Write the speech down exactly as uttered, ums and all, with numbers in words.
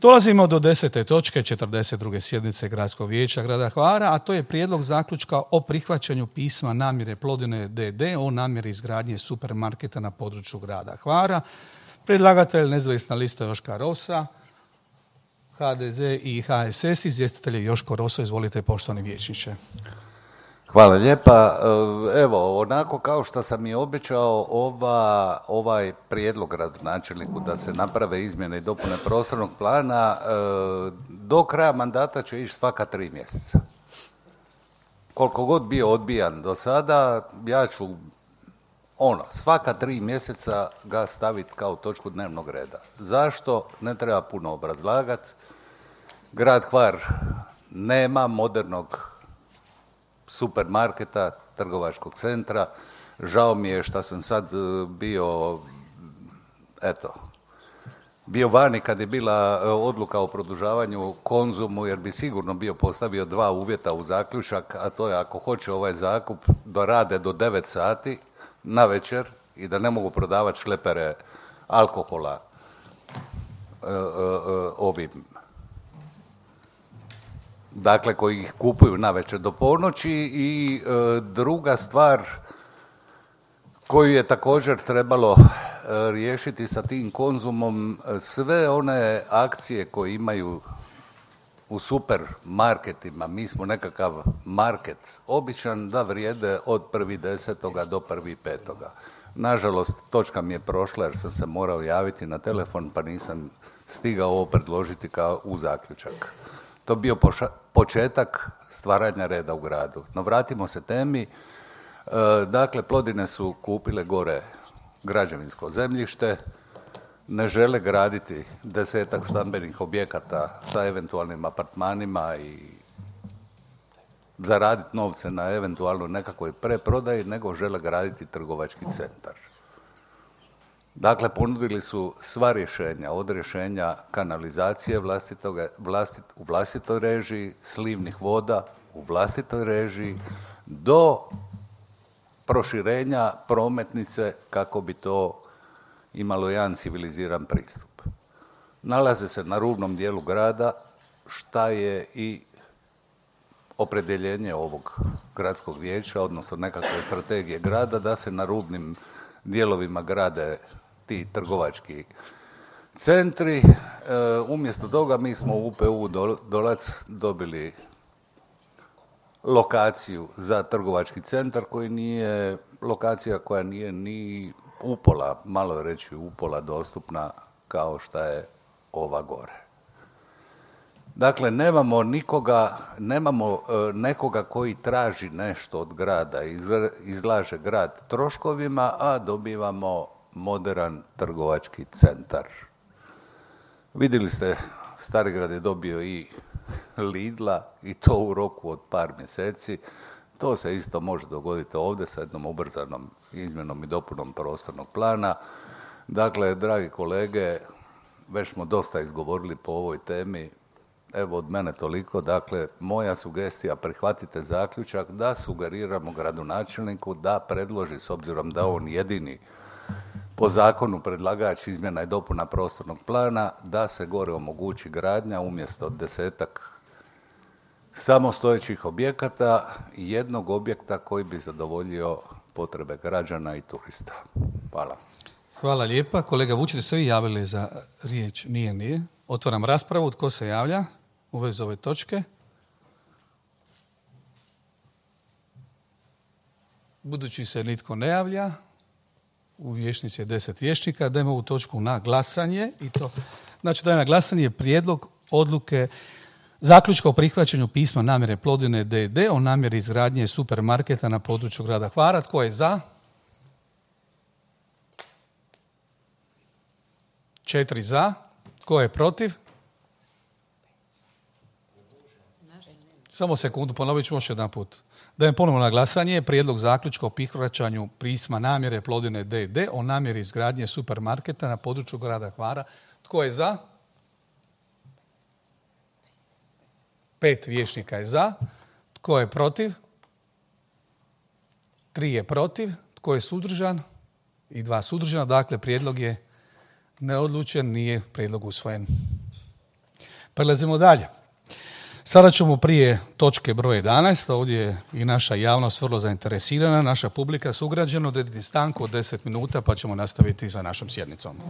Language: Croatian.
Dolazimo do desete točke četrdeset druge sjednice Gradskog vijeća grada Hvara, a to je prijedlog zaključka o prihvaćanju pisma namjere Plodine d d o namjeri izgradnje supermarketa na području grada Hvara. Predlagatelj nezavisna lista Joška Rosa, ha de ze i ha es es, izvjestitelj je Joško Roso. Izvolite, poštovani vijećniče. Hvala lijepa. Evo, onako kao što sam i obećao, ova, ovaj prijedlog gradonačelniku da se naprave izmjene i dopune prostornog plana do kraja mandata će ići svaka tri mjeseca. Koliko god bio odbijan do sada, ja ću ono, svaka tri mjeseca ga staviti kao točku dnevnog reda. Zašto? Ne treba puno obrazlagati. Grad Hvar nema modernog supermarketa, trgovačkog centra. Žao mi je što sam sad bio, eto, bio vani kad je bila odluka o produžavanju Konzumu, jer bi sigurno bio postavio dva uvjeta u zaključak, a to je ako hoće ovaj zakup da rade do devet sati na večer i da ne mogu prodavati šlepere alkohola e, e, ovim, dakle koji ih kupuju na večer do ponoći. I e, druga stvar koju je također trebalo e, riješiti sa tim Konzumom, sve one akcije koje imaju u supermarketima, mi smo nekakav market običan, da vrijede od prvog desetoga do prvog petoga. Nažalost, točka mi je prošla jer sam se morao javiti na telefon pa nisam stigao ovo predložiti kao u zaključak. To bio poša- početak stvaranja reda u gradu. No vratimo se temi. E, dakle, Plodine su kupile gore građevinsko zemljište, ne žele graditi desetak stambenih objekata sa eventualnim apartmanima i zaraditi novce na eventualno nekakvoj preprodaji, nego žele graditi trgovački centar. Dakle, ponudili su sva rješenja, od rješenja kanalizacije vlastitoga, vlastit, u vlastitoj režiji, slivnih voda u vlastitoj režiji, do proširenja prometnice kako bi to imalo jedan civiliziran pristup. Nalaze se na rubnom dijelu grada, šta je i opredjeljenje ovog gradskog vijeća, odnosno nekakve strategije grada, da se na rubnim dijelovima grade ti trgovački centri. E, umjesto toga mi smo u u pe u Dolac dobili lokaciju za trgovački centar koji nije, lokacija koja nije ni upola, malo je reći upola dostupna kao što je ova gore. Dakle, nemamo nikoga, nemamo e, nekoga koji traži nešto od grada, izlaže grad troškovima, a dobivamo moderan trgovački centar. Vidjeli ste, Starigrad je dobio i Lidla i to u roku od par mjeseci. To se isto može dogoditi ovdje sa jednom ubrzanom izmjenom i dopunom prostornog plana. Dakle, dragi kolege, već smo dosta izgovorili po ovoj temi. Evo od mene toliko. Dakle, moja sugestija, prihvatite zaključak da sugeriramo gradonačelniku da predloži, s obzirom da on jedini po zakonu predlagač izmjena i dopuna prostornog plana, da se gore omogući gradnja umjesto desetak samostojećih objekata i jednog objekta koji bi zadovoljio potrebe građana i turista. Hvala. Hvala lijepa. Kolega Vučić, ste vi javili za riječ? Nije, nije. Otvaram raspravu. Tko se javlja u vezi ove točke? Budući se nitko ne javlja, u vijećnici je deset vijećnika, dajmo ovu točku na glasanje. I to, znači, daje na glasanje prijedlog odluke zaključka o prihvaćanju pisma namjere Plodine d d o namjeri izgradnje supermarketa na području grada Hvara. Tko je za? Četiri za. Tko je protiv? Samo sekundu, ponovit ću još jedan put. Dajem ponovno na glasanje prijedlog zaključka o prihvaćanju pisma namjere Plodine d d o namjeri izgradnje supermarketa na području grada Hvara. Tko je za? Pet vijećnika je za. Tko je protiv? Tri je protiv. Tko je suzdržan? I dva suzdržana. Dakle, prijedlog je neodlučen, nije prijedlog usvojen. Prelazimo dalje. Sada ćemo prije točke broj jedanaest, ovdje je i naša javnost vrlo zainteresirana, naša publika sugrađana, odrediti stanku od deset minuta pa ćemo nastaviti sa našom sjednicom.